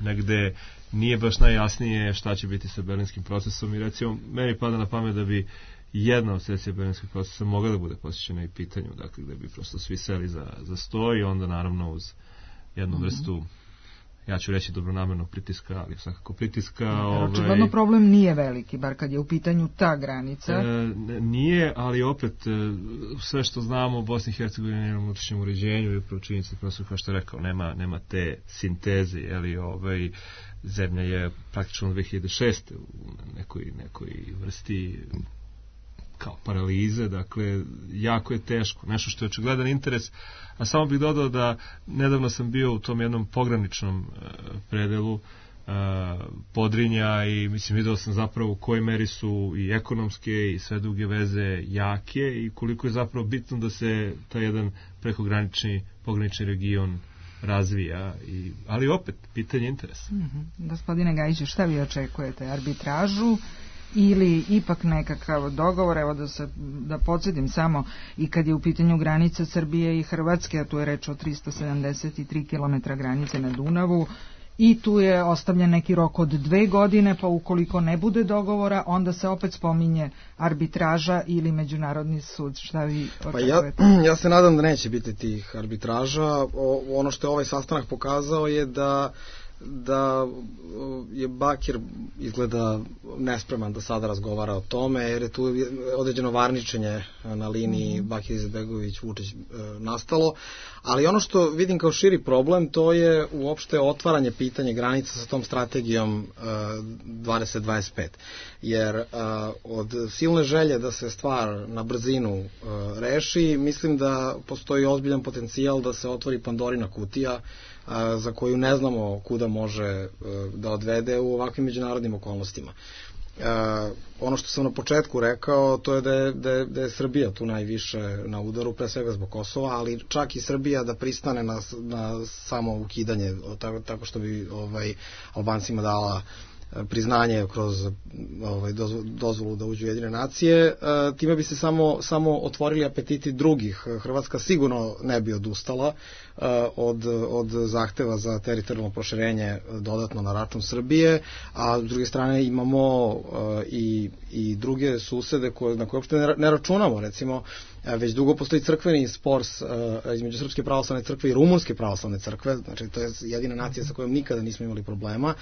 negde nije baš najjasnije šta će biti sa berlinskim procesom i recimo meni pada na pamet da bi jedna od sesija berlinskog procesa mogla da bude posvećena i pitanju, dakle gde bi prosto svi seli za sto i onda naravno uz jednu vrstu ja ću reći dobronamernog pritiska, ali svakako pritiska. Očigledno problem nije veliki, bar kad je u pitanju ta granica. Nije, ali opet sve što znamo o Bosni i Hercegovini nema unutrašnjem uređenju i upravo činjenica, kao što je rekao, nema te sinteze, zemlja je praktično 2006. u nekoj vrsti kao paralize, dakle, jako je teško, nešto što je očigledan interes, a samo bih dodao da nedavno sam bio u tom jednom pograničnom predelu Podrinja i mislim vidio sam zapravo u kojoj meri su i ekonomske i sve druge veze jake i koliko je zapravo bitno da se taj jedan prekogranični pogranični region razvija, ali opet pitanje interesa. Gospodine Gajiću, šta vi očekujete? Arbitražu ili ipak nekakav dogovor? Evo da podsjetim samo, i kad je u pitanju granica Srbije i Hrvatske, a tu je reč o 373 km granice na Dunavu, i tu je ostavljen neki rok od 2 godine, pa ukoliko ne bude dogovora, onda se opet spominje arbitraža ili međunarodni sud. Šta vi očekujete? Ja se nadam da neće biti tih arbitraža. Ono što je ovaj sastanak pokazao je da je Bakir izgleda nespreman da sada razgovara o tome, jer je tu određeno varničenje na liniji Bakir Izetbegović-Vučić nastalo, ali ono što vidim kao širi problem, to je uopšte otvaranje pitanja granica sa tom strategijom 2025, jer od silne želje da se stvar na brzinu reši, mislim da postoji ozbiljan potencijal da se otvori Pandorina kutija za koju ne znamo kuda može da odvede u ovakvim međunarodnim okolnostima. Ono što sam na početku rekao, to je da je Srbija tu najviše na udaru, pre svega zbog Kosova, ali čak i Srbija da pristane na samo ukidanje, tako što bi Albancima dala priznanje kroz dozvolu da uđu u Ujedinjene nacije, time bi se samo otvorili apetiti drugih. Hrvatska sigurno ne bi odustala od zahteva za teritorijalno proširenje dodatno na račun Srbije, a s druge strane imamo i druge susede na koje uopšte ne računamo. Recimo, već dugo postoji crkveni spor između Srpske pravoslavne crkve i Rumunske pravoslavne crkve, znači to je jedina nacija sa kojom nikada nismo imali problema.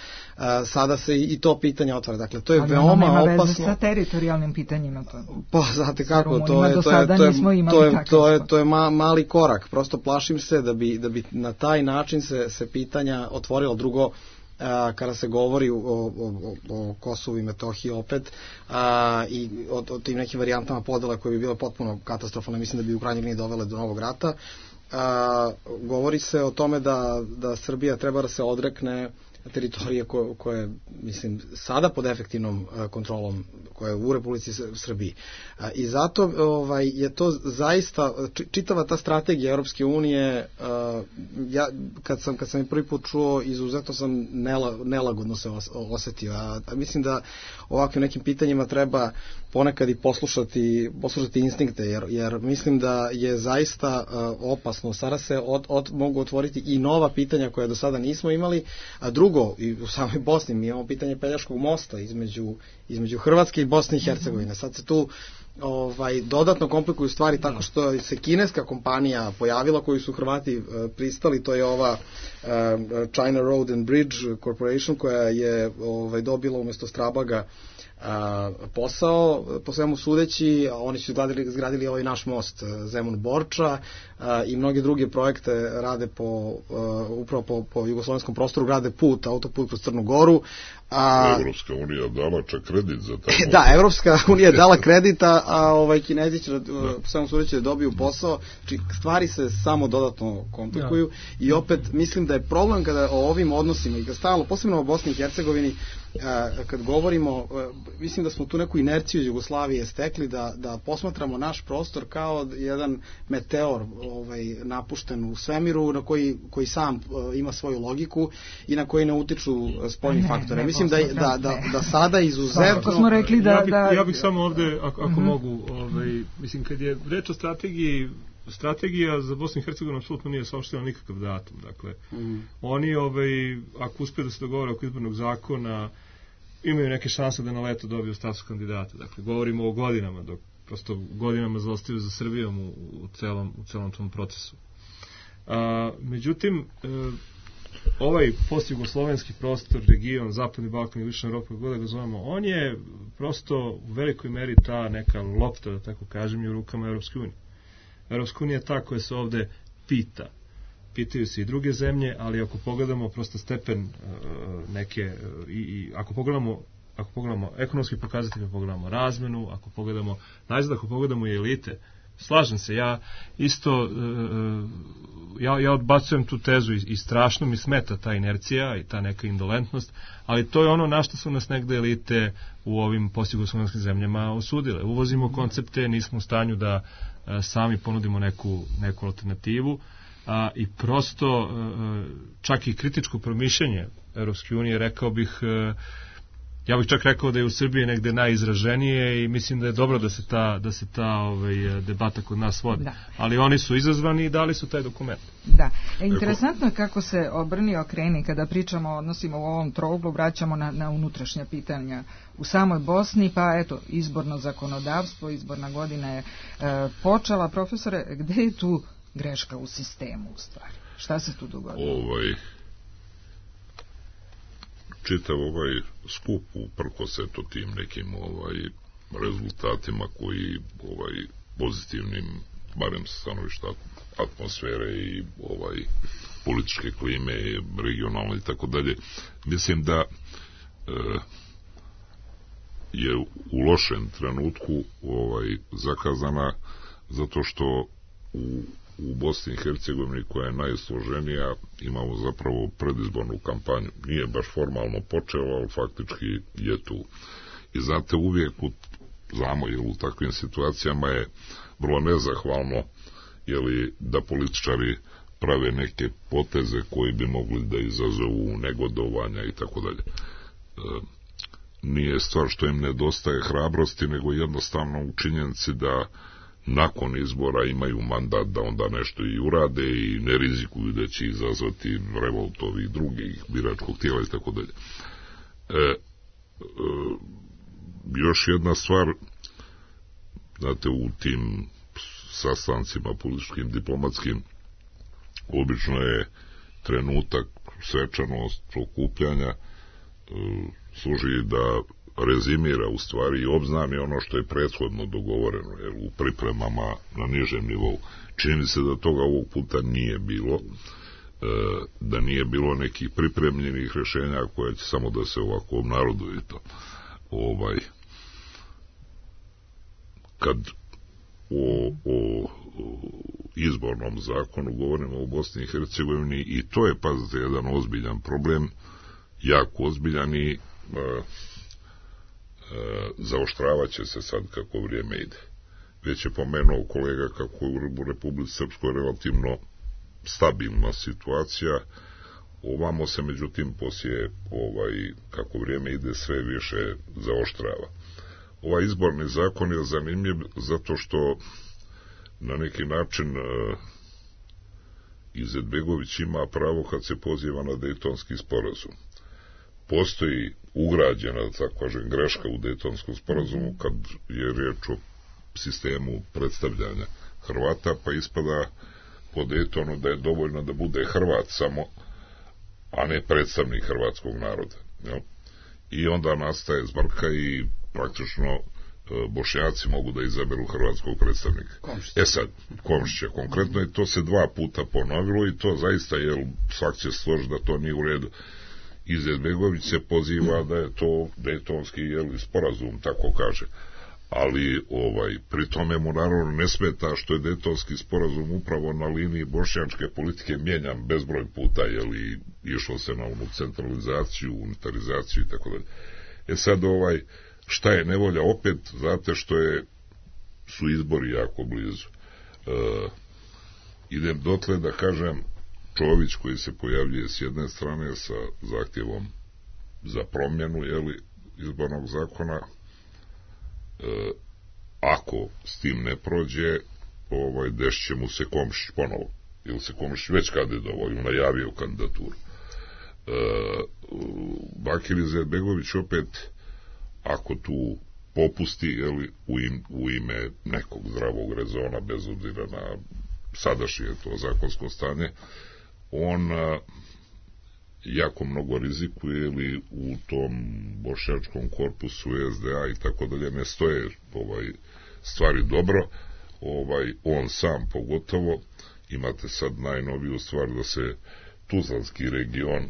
Sada se i to pitanje otvara, dakle to je veoma opasno. Ali nema veze sa teritorijalnim pitanjima to. Pa znate kako, to je mali korak, prosto plašim se da bi na taj način se pitanja otvorilo. Drugo, kada se govori o Kosovu i Metohiji opet i o tim nekim varijantama podela koje bi bile potpuno katastrofalne, mislim da bi u krajnjoj liniji dovele do novog rata, govori se o tome da Srbija treba da se odrekne teritorije koje, mislim, sada pod efektivnom kontrolom koja je u Republici Srbiji. I zato je to zaista, čitava ta strategija Europske unije, ja kad sam je prvi put čuo, izuzetno sam nelagodno se osetio. A mislim da ovakvim nekim pitanjima treba ponekad i poslušati instinkte, jer mislim da je zaista opasno. Sada se mogu otvoriti i nova pitanja koja do sada nismo imali, a drugo, i u samoj Bosni mi imamo pitanje Pelješkog mosta između Hrvatske i Bosne i Hercegovine. Sad se tu dodatno komplikuju stvari tako što se kineska kompanija pojavila koju su Hrvati pristali, to je ova China Road and Bridge Corporation koja je dobila umjesto Strabaga posao, po svemu sudeći. Oni su izgradili ovaj naš most Zemun-Borča i mnoge druge projekte rade upravo po jugoslovenskom prostoru, grade autoput kroz Crnu Goru. Evropska unija dala čak kredit za taj most. Da, Evropska unija je dala kredita, a Kinezi će po svemu sudeći da dobiju posao. Znači, stvari se samo dodatno komplikuju i opet mislim da je problem kada o ovim odnosima i kad stalno, posebno o Bosni i Hercegovini, kad govorimo, mislim da smo tu neku inerciju iz Jugoslavije stekli da posmatramo naš prostor kao jedan meteor napušten u svemiru na koji sam ima svoju logiku i na koji ne utiču spoljni faktore. Mislim da sada izuzetno... smo rekli ja bih samo ovde, ako mogu, mislim kad je reč o strategija za Bosnu i Hercegovinu apsolutno nije saopštena nikakav datum. Dakle, oni, ako uspiju da se dogovore oko izbornog zakona, imaju neke šanse da na leto dobiju status kandidata. Dakle, govorimo o godinama, dok prosto godinama zaostaju za Srbijom u celom tom procesu. Međutim, ovaj postjugoslovenski prostor, region, Zapadni Balkan i Istočna Evropa, kako da ga zovemo, on je prosto u velikoj meri ta neka lopta, da tako kažem, i u rukama Evropske unije. Evropska unija je ta koja se ovde pita. Pitaju se i druge zemlje, ali ako pogledamo prosto stepen neke, ako pogledamo ekonomski pokazatelj, ako pogledamo razmenu, ako pogledamo i elite, slažem se, ja isto ja odbacujem tu tezu i strašno mi smeta ta inercija i ta neka indolentnost, ali to je ono na što su nas negde elite u ovim postjugoslovenskim zemljama osudile. Uvozimo koncepte, nismo u stanju da sami ponudimo neku alternativu, i prosto čak i kritičko promišljanje Evropske unije, rekao bih, ja bih čak rekao da je u Srbiji negde najizraženije i mislim da je dobro da se ta debata kod nas vodi. Da. Ali oni su izazvani i dali su taj dokument. Da. Interesantno je kako se obrni okreni kada pričamo o odnosima u ovom trouglu, vraćamo na unutrašnja pitanja u samoj Bosni, pa eto, izborno zakonodavstvo, izborna godina je počela. Profesore, gde je tu greška u sistemu u stvari? Šta se tu dogodilo? Čitav ovaj skup uprkos eto tim nekim rezultatima koji pozitivnim, barem sa stanovišta atmosfere i političke klime, regionalne i tako dalje, mislim da je u lošem trenutku zakazana zato što u Bosni i Hercegovini, koja je najsloženija, imamo zapravo predizbornu kampanju. Nije baš formalno počela, ali faktički je tu. I znate, uvijek znamo, jer u takvim situacijama je vrlo nezahvalno da političari prave neke poteze koji bi mogli da izazovu negodovanja i tako dalje. Nije stvar što im nedostaje hrabrosti, nego jednostavno u činjenici da nakon izbora imaju mandat da onda nešto i urade i ne rizikuju da će izazvati revolt ovih drugih biračkog tijela i tako dalje. Još jedna stvar, znate, u tim sastancima političkim, diplomatskim, obično je trenutak svečanost okupljanja služi da rezimira u stvari i obznani ono što je prethodno dogovoreno, jer u pripremama na nižem nivou. Čini mi se da toga ovog puta nije bilo, da nije bilo nekih pripremljenih rješenja koje će samo da se ovako obnaroduju to. Kad o izbornom zakonu govorimo u Bosni i Hercegovini, i to je, pazite, jedan ozbiljan problem, jako ozbiljan, i zaoštravat će se sad kako vrijeme ide. Već je pomenuo kolega kako je u Republici Srpskoj relativno stabilna situacija, ovamo se međutim poslije kako vrijeme ide sve više zaoštrava. Ovaj izborni zakon je zanimljiv zato što na neki način Izetbegović ima pravo kad se poziva na Dejtonski sporazum. Postoji ugrađena, da tako kažem, greška u Dejtonskom sporazumu kad je riječ o sistemu predstavljanja Hrvata, pa ispada po Dejtonu da je dovoljno da bude Hrvat samo, a ne predstavnik hrvatskog naroda. Jel? I onda nastaje zbrka i praktično Bošnjaci mogu da izaberu hrvatskog predstavnika. Komšića konkretno, i to se 2 puta ponovilo i to zaista, jer svak će složiti da to nije u redu. Izetbegović se poziva da je to Dejtonski sporazum, tako kaže. Ali pri tome mu naravno ne smeta što je Dejtonski sporazum upravo na liniji bošnjačke politike mijenjan bezbroj puta, išlo se na onu centralizaciju, unitarizaciju i tako dalje. Sad šta je nevolja opet, znate što su izbori jako blizu. Idem dotle da kažem, Čović koji se pojavljuje s jedne strane sa zahtjevom za promjenu izbornog zakona, ako s tim ne prođe, dešće mu se Komšić ponovo, ili se Komšić već kandidovao i najavio kandidaturu. Bakir Izetbegović opet, ako tu popusti u ime nekog zdravog rezona, bez obzira na sadašnje to zakonsko stanje, on jako mnogo rizikuje ili u tom bošnjačkom korpusu SDA i tako dalje ne stoje stvari dobro, on sam pogotovo. Imate sad najnoviju stvar da se Tuzlanski region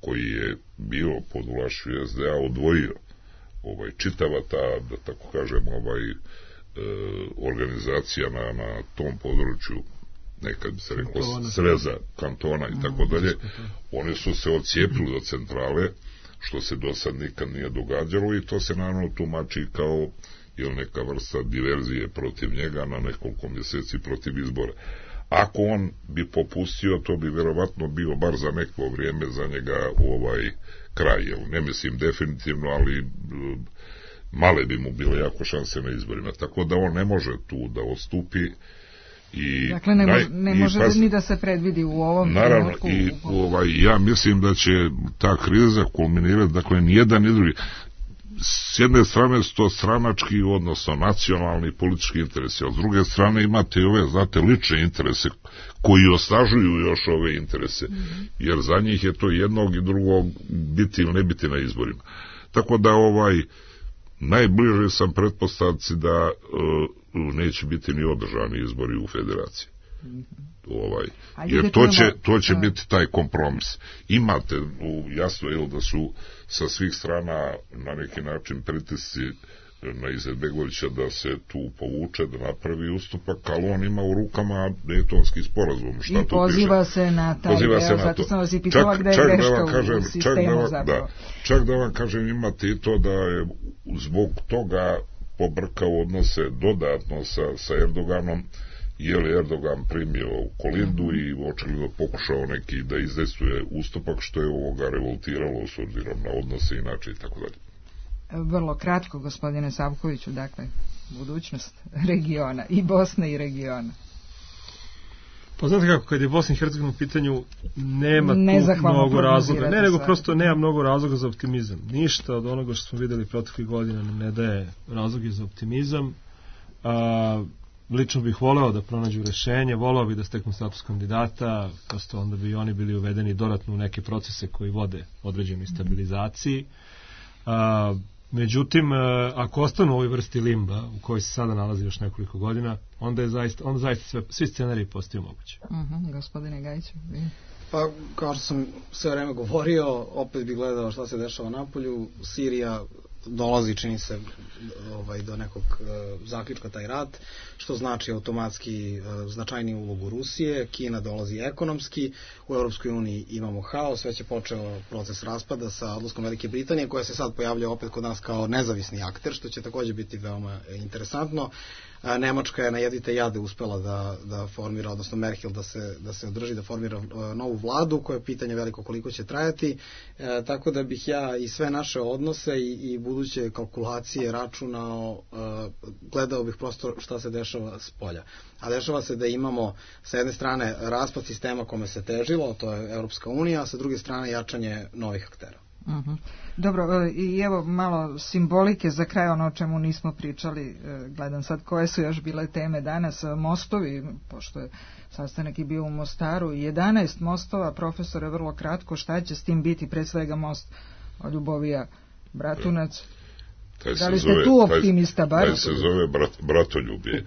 koji je bio pod vlašću SDA odvojio, čitava ta, da tako kažem, organizacija na tom području, nekad bi se reklo sreza kantona i tako dalje, oni su se odcijepili od centrale, što se do sad nikad nije događalo, i to se naravno tumači kao neka vrsta diverzije protiv njega na nekoliko mjeseci protiv izbora. Ako on bi popustio, to bi vjerovatno bio bar za neko vrijeme za njega kraj. Ne mislim definitivno, ali male bi mu bile jako šanse na izborima. Tako da on ne može tu da odstupi. Dakle, ne može ni da se predvidi u ovom naravno, trenutku. I ja mislim da će ta kriza kulminirati, dakle, nijedan ni drugi. S jedne strane su to stranački, odnosno nacionalni politički interesi, a s druge strane imate i ove, znate, lične interese koji osnažuju još ove interese, jer za njih je to jednog i drugog biti ili ne biti na izborima. Tako da najbliže sam pretpostavci da neće biti ni održani izbori u federaciji. Jer to će biti taj kompromis. Imate jasno da su sa svih strana na neki način pritisci na Izetbegovića da se tu povuče, da napravi ustupak, ali on ima u rukama Dejtonski sporazum. I poziva se na taj deo, zato sam vas i pitala gde je greška u sistemu zapravo. Čak da vam kažem, imate i to da je zbog toga pobrkao odnose dodatno sa Erdoganom, je li Erdogan primio Kolindu i očigledno pokušao neki da izdejstvuje ustupak, što je ovoga revoltiralo s obzirom na odnose inače i tako dalje. Vrlo kratko, gospodine Savkoviću, dakle, budućnost regiona i Bosne i regiona. Pa znate kako, kad je Bosna i Hercegovina u pitanju, nema tu mnogo razloga. Ne, nego prosto nema mnogo razloga za optimizam. Ništa od onoga što smo videli proteklih godina nam ne daje razloge za optimizam. Lično bih voleo da pronađu rešenje, voleo bih da steknu status kandidata, prosto onda bi oni bili uvedeni dodatno u neke procese koji vode određenoj stabilizaciji. Međutim, ako ostanu u ovoj vrsti limba u kojoj se sada nalazi još nekoliko godina, onda zaista svi scenariji postaju mogući. Gospodine Gajiću. Pa, kao što sam sve vreme govorio, opet bih gledao šta se dešava napolju. Sirija dolazi, čini se, do nekog zaključka taj rat, što znači automatski značajniju ulogu Rusije. Kina dolazi ekonomski, u Europskoj uniji imamo haos, već je počeo proces raspada sa odlaskom Velike Britanije, koja se sad pojavlja opet kod nas kao nezavisni akter, što će također biti veoma interesantno. Nemačka je na jedite jade uspela da formira, odnosno Merkel da se održi, da formira novu vladu, koje je pitanje veliko koliko će trajati, tako da bih ja i sve naše odnose i buduće kalkulacije računao, gledao bih prosto šta se dešava s polja. A dešava se da imamo sa jedne strane raspad sistema kome se težilo, to je Europska unija, a sa druge strane jačanje novih aktera. Dobro, i evo malo simbolike za kraj, ono o čemu nismo pričali, gledam sad koje su još bile teme danas. Mostovi, pošto je sastanak i bio u Mostaru, 11 mostova, profesore, vrlo kratko, šta će s tim biti, pre svega most od Ljubovija Bratunac? Da li ste tu optimista bar? Taj se zove Bratoljubje,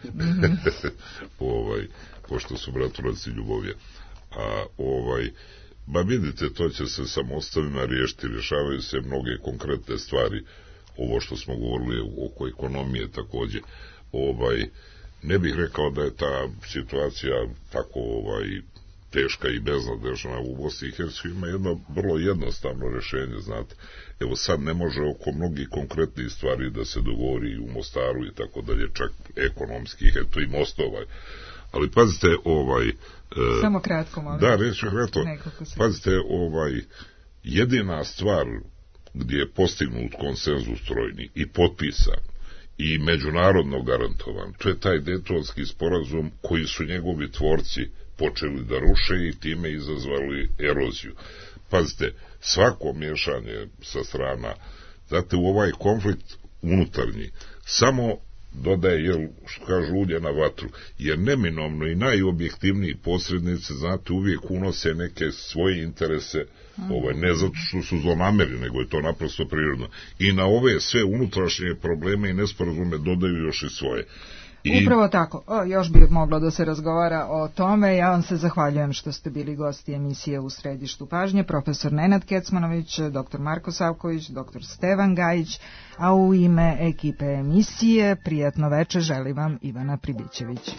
pošto su Bratunac i Ljubovija. Ba vidite, to će se sa mostovima riješiti, rješavaju se mnoge konkretne stvari, ovo što smo govorili oko ekonomije također. Ne bih rekao da je ta situacija tako teška i beznadežna u Bosni i Hercegovini. Ima jedno vrlo jednostavno rješenje, znate. Evo sad ne može oko mnogih konkretnih stvari da se dogovori u Mostaru i tako dalje, čak ekonomskih, eto i mostova. Ali pazite, samo kratko, molim. Da, reći kratko. Pazite, jedina stvar gdje je postignut konsenzus trojni i potpisan i međunarodno garantovan, to je taj Dejtonski sporazum koji su njegovi tvorci počeli da ruše i time izazvali eroziju. Pazite, svako miješanje sa strana, znate, u ovaj konflikt unutarnji, samo dodaje, jel, što kažu, ulje na vatru, jer neminovno i najobjektivniji posrednici, znate, uvijek unose neke svoje interese, ne zato što su zlonamerni, nego je to naprosto prirodno. I na ove sve unutrašnje probleme i nesporazume dodaju još i svoje. Upravo tako, još bi moglo da se razgovara o tome. Ja vam se zahvaljujem što ste bili gosti emisije U središtu pažnje, profesor Nenad Kecmanović, dr. Marko Savković, dr. Stevan Gajić, a u ime ekipe emisije prijatno veče želim vam Ivana Pribićević.